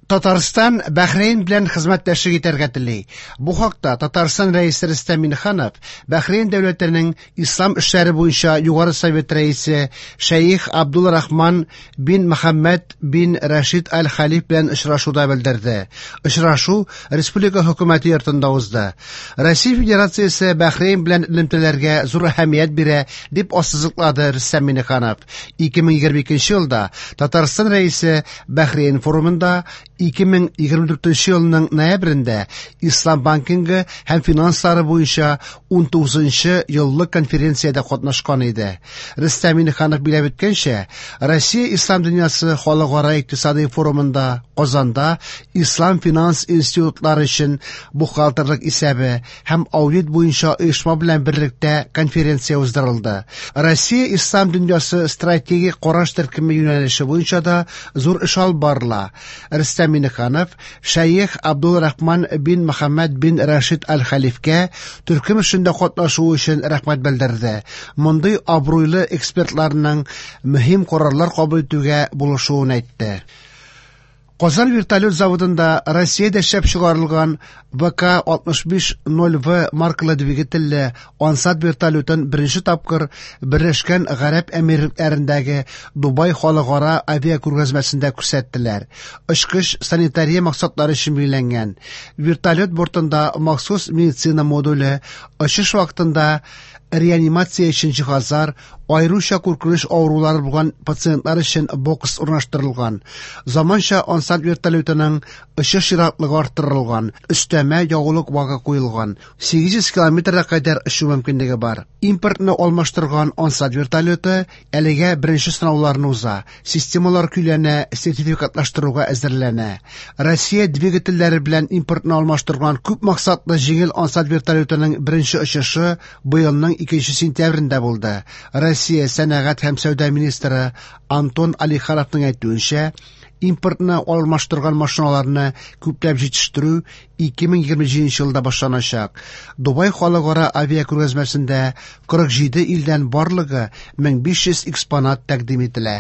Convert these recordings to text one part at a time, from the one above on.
Татарстан Бәхрейн белән хезмәттәшлек итәргә тели. Бу хакта Татарстан Рәисе Рөстәм Миңнеханов Бәхрейн дәүләтенең Ислам эшләре буенча Югары совет рәисе Шәех Абдул Рахман бин Мөхәммәд бин Рәшид Аль-Халиф белән очрашуда белдерде. Очрашу республика хөкүмәте йортында узды. Россия Федерациясе Бәхрейн белән элемтәләргә зур әһәмият бирә, дип ассызыклады Рөстәм Миңнеханов. 2022 елда Татарстан Рәисе Бәхрейн форумында, 2024 елның ноябрендә Ислам банкингы һәм финанслары буенча 19 еллык конференциядә катнашкан иде. Рөстәм Миңнеханов билгеләп үткәнчә, Россия Ислам дөньясы халыкара икътисадый форумында Казанда Ислам финанс институтлары өчен бухгалтерлык исәбе һәм аудит буенча оешма белән берлектә конференция уздырылды. Россия Ислам дөньясы стратегик караш төркеме юнәлеше буенча да зур эш алып барыла. Рөстәм Миңнеханов Шәех Абдул Рахман бин Мөхәммәд бин Рәшид Аль-Хәлифкә төркем эшендә катнашуы өчен рәхмәт белдерде. Мондый абруйлы экспертларның мөһим карарлар кабул итүгә булышуын әйтте. Казан вертолет заводында Россиядә эшләп чыгарылган ВК-65-0В маркалы двигательле Ансат вертолетын беренче тапкыр Берләшкән Гарәп Әмирлекләрендәге Дубай халыкара авиакүргәзмәсендә күрсәттеләр. Очкыч санитария максатлары өчен билгеләнгән. Вертолет бортында махсус медицина модуле, очыш вакытында реанимация өчен җиһазлар, аеруча куркыныч авырулары булган пациентлар өчен бокс урнаштырылган. Заманча Ансат вертолетының очыш ераклыгы арттырылган, өстәмә ягулык багы куелган, 800 километрга кадәр очу мөмкинлеге бар. Импортны алмаштырган Ансат вертолеты әлегә беренче сынауларны уза, системалар көйләнә, сертификатлаштыруга әзерләнә. Россия двигательләре белән импортны алмаштырган күп максатлы җиңел Ансат вертолетының беренче очышы быелның 2 сентябрендә булды. Россия сәнәгать һәм сәүдә министры Антон Алихановның әйтүенчә, импортны алмаштырган машиналарны күпләп җитештерү 2027 елда башланачак. Дубай халыкара авиакүргәзмәсендә 47 илдән барлыгы 1500 экспонат тәкъдим ителә.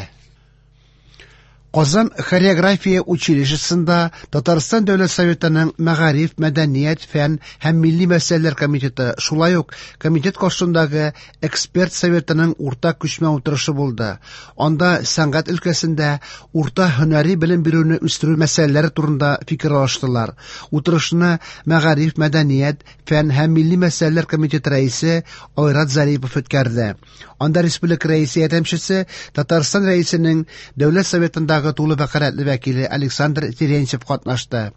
Казан хореография училищесында Татарстан Дәүләт Советының Мәгариф, мәдәният, фән һәм милли мәсьәләләр комитеты, шулай ук комитет каршындагы эксперт советының уртак күчмә утырышы булды. Анда сәнгать өлкәсендә урта һөнәри белем бирүне үстерү мәсьәләләре турында фикер алыштылар. Утырышны Мәгариф, мәдәният, фән һәм милли мәсьәләләр комитеты рәисе Айрат Зарипов үткәрде. Анда республика рәисе ярдәмчесе, Татарстан рәисенең Дәүләт Советындагы тулы вәкаләтле вәкиле Александр Терентьев катнашты.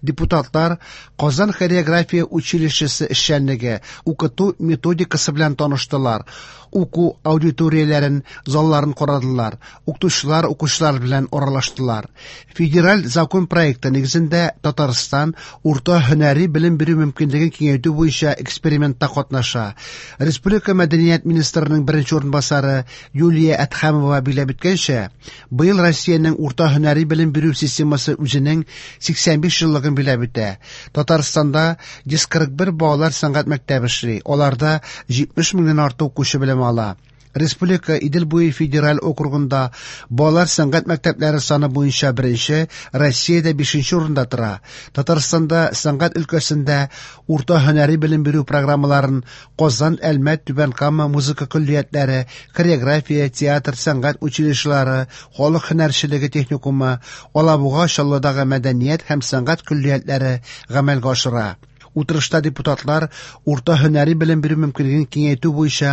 Депутатлар Казан хореография училищесы эшчәнлеге, укыту методикасы белән таныштылар, уку аудиторияләрен, залларын карадылар, укытучылар укучылар белән аралаштылар. Федераль закон проекты нигезендә Татарстан урта һөнәри белем бирү мөмкинлеген киңәйтү буенча экспериментта катнаша. Республика мәдәният министрының беренче урынбасары Юлия Әдһәмова билгеләп үткәнчә, быел Россиянең урта һөнәри белем бирү системасы үзенең 85 еллыгын билгеләп үтә. Татарстанда 141 балалар сәнгать мәктәбе эшли, аларда 70 меңнән артык укучы белем ала. Республика Идел буе федераль округында балалар сәнгать мәктәпләре саны буенча беренче, Россиядә бишенче урында тора. Татарстанда сәнгать өлкәсендә урта һөнәри белем бирү программаларын Казан, Әлмәт, Түбән Кама музыка көллиятләре, хореография, театр, сәнгать училищелары, халык һөнәрчелеге техникумы, Алабуга, Чаллыдагы мәдәният һәм сәнгать көллиятләре гамәлгә ашыра. Утырышта депутатлар урта һөнәри белем бирү мөмкинлеген киңәйтү буенча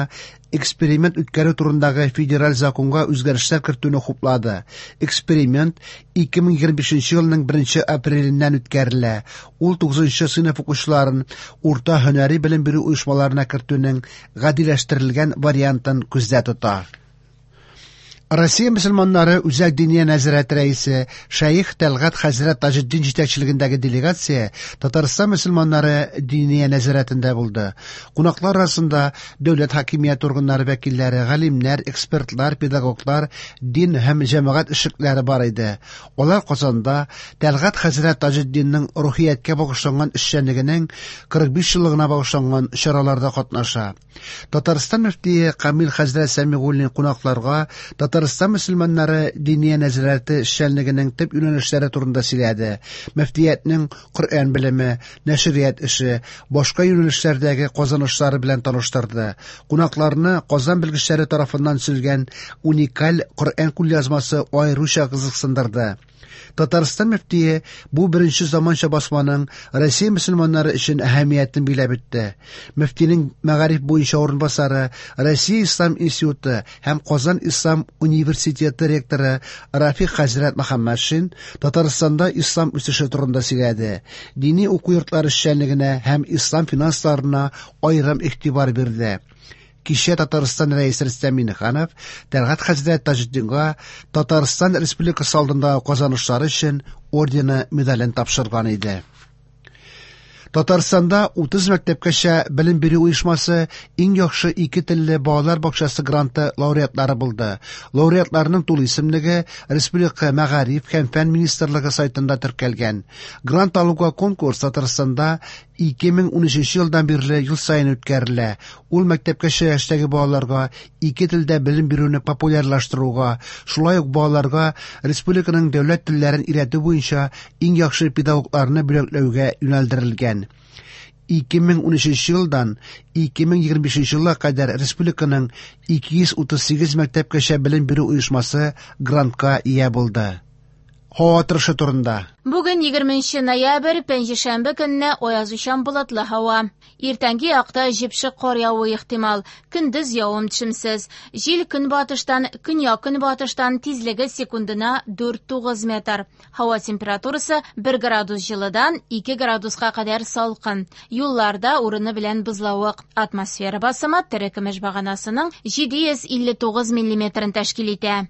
эксперимент үткәрү турындагы федераль законга үзгәрешләр кертүне хуплады. Эксперимент 2025 елның 1 апреленнән үткәрелә. Ул 9 сыйныф укучыларын урта һөнәри белем бирү оешмаларына кертүнең гадиләштерелгән вариантын күздә тота. Россия мөселманнары Үзәк диния нәзарәте рәисе Шәех Тәлгать хәзрәт Таҗетдин җитәкчелегендәге делегация Татарстан мөселманнары диния нәзарәтендә булды. Кунаклар арасында дәүләт хакимият органнары вәкилләре, галимнәр, экспертлар, педагоглар, дин һәм җәмәгать эшлекләре бар иде. Алар Казанда Тәлгать хәзрәт Таҗетдинның рухияткә багышланган эшчәнлегенең 45 еллыгына багышланган чараларда катнаша. Татарстан мөфтие Камил хәзрәт Сәмигуллин кунакларга Татарстан Татарстан мөселманнары Диния нәзарәте эшчәнлегенең төп юнәлешләре турында сөйләде. Мөфтиятнең Коръән белеме, нәшрият эше, башка юнәлешләрдәге казанышлары белән таныштырды. Кунакларны Казан белгечләре тарафыннан төзелгән уникаль Коръән кулъязмасы аеруча кызыксындырды. Татарстан мөфтие бу беренче заманча басманың Россия мөселманнары өчен әһәмиятен биләп үтте. Мөфтинең мәгариф буенча урынбасары, Россия Ислам институты һәм Казан Ислам университеты ректоры Рафик хәзрәт Мөхәммәтшин Татарстанда ислам үсеше турында сөйләде. Дини уку йортлары эшчәнлегенә һәм ислам финансларына аерым игътибар бирде. Кичә Татарстан Рәисе Рөстәм Миңнеханов Тәлгать хәзрәт Таҗетдинга Татарстан Республикасы алдындагы казанышлары өчен ордены медален тапшырган иде. Татарстанда 30 мәктәпкәчә белем бирү оешмасы иң яхшы ике телле балалар бакчасы гранты лауреатлары булды. Лауреатларның тулы исемлеге Республика мәгариф һәм фән министрлыгы сайтында теркәлгән. Грант алуга конкурс Татарстанда 2013 елдан бирле ел саен үткәрелә. Ул мәктәпкәчә яшьтәге балаларга ике телдә белем бирүне популярлаштыруга, шулай ук балаларга республиканың дәүләт телләрен өйрәтү буенча иң яхшы педагогларны бүләкләүгә юнәлдерелгән. 2013 елдан 2025 елга кадәр республиканың 238 мәктәпкәчә белем бирү оешмасы грантка ия булды. Һава торышы турында. Бүген 20 ноябрь, пәнҗешәмбе көнне аязучан болытлы һава. Иртәнге якта җепшек кар явуы ихтимал. Көндез явым-төшемсез. Җил көнбатыштан, көньяк-көнбатыштан тизлеге секундына 4-9 метр. Һава температурасы 1 градус җылыдан 2 градуска кадәр салкын. Юлларда урыны белән бозлавык. Атмосфера басымы терекөмеш баганасының 759 миллиметрын тәшкил итә.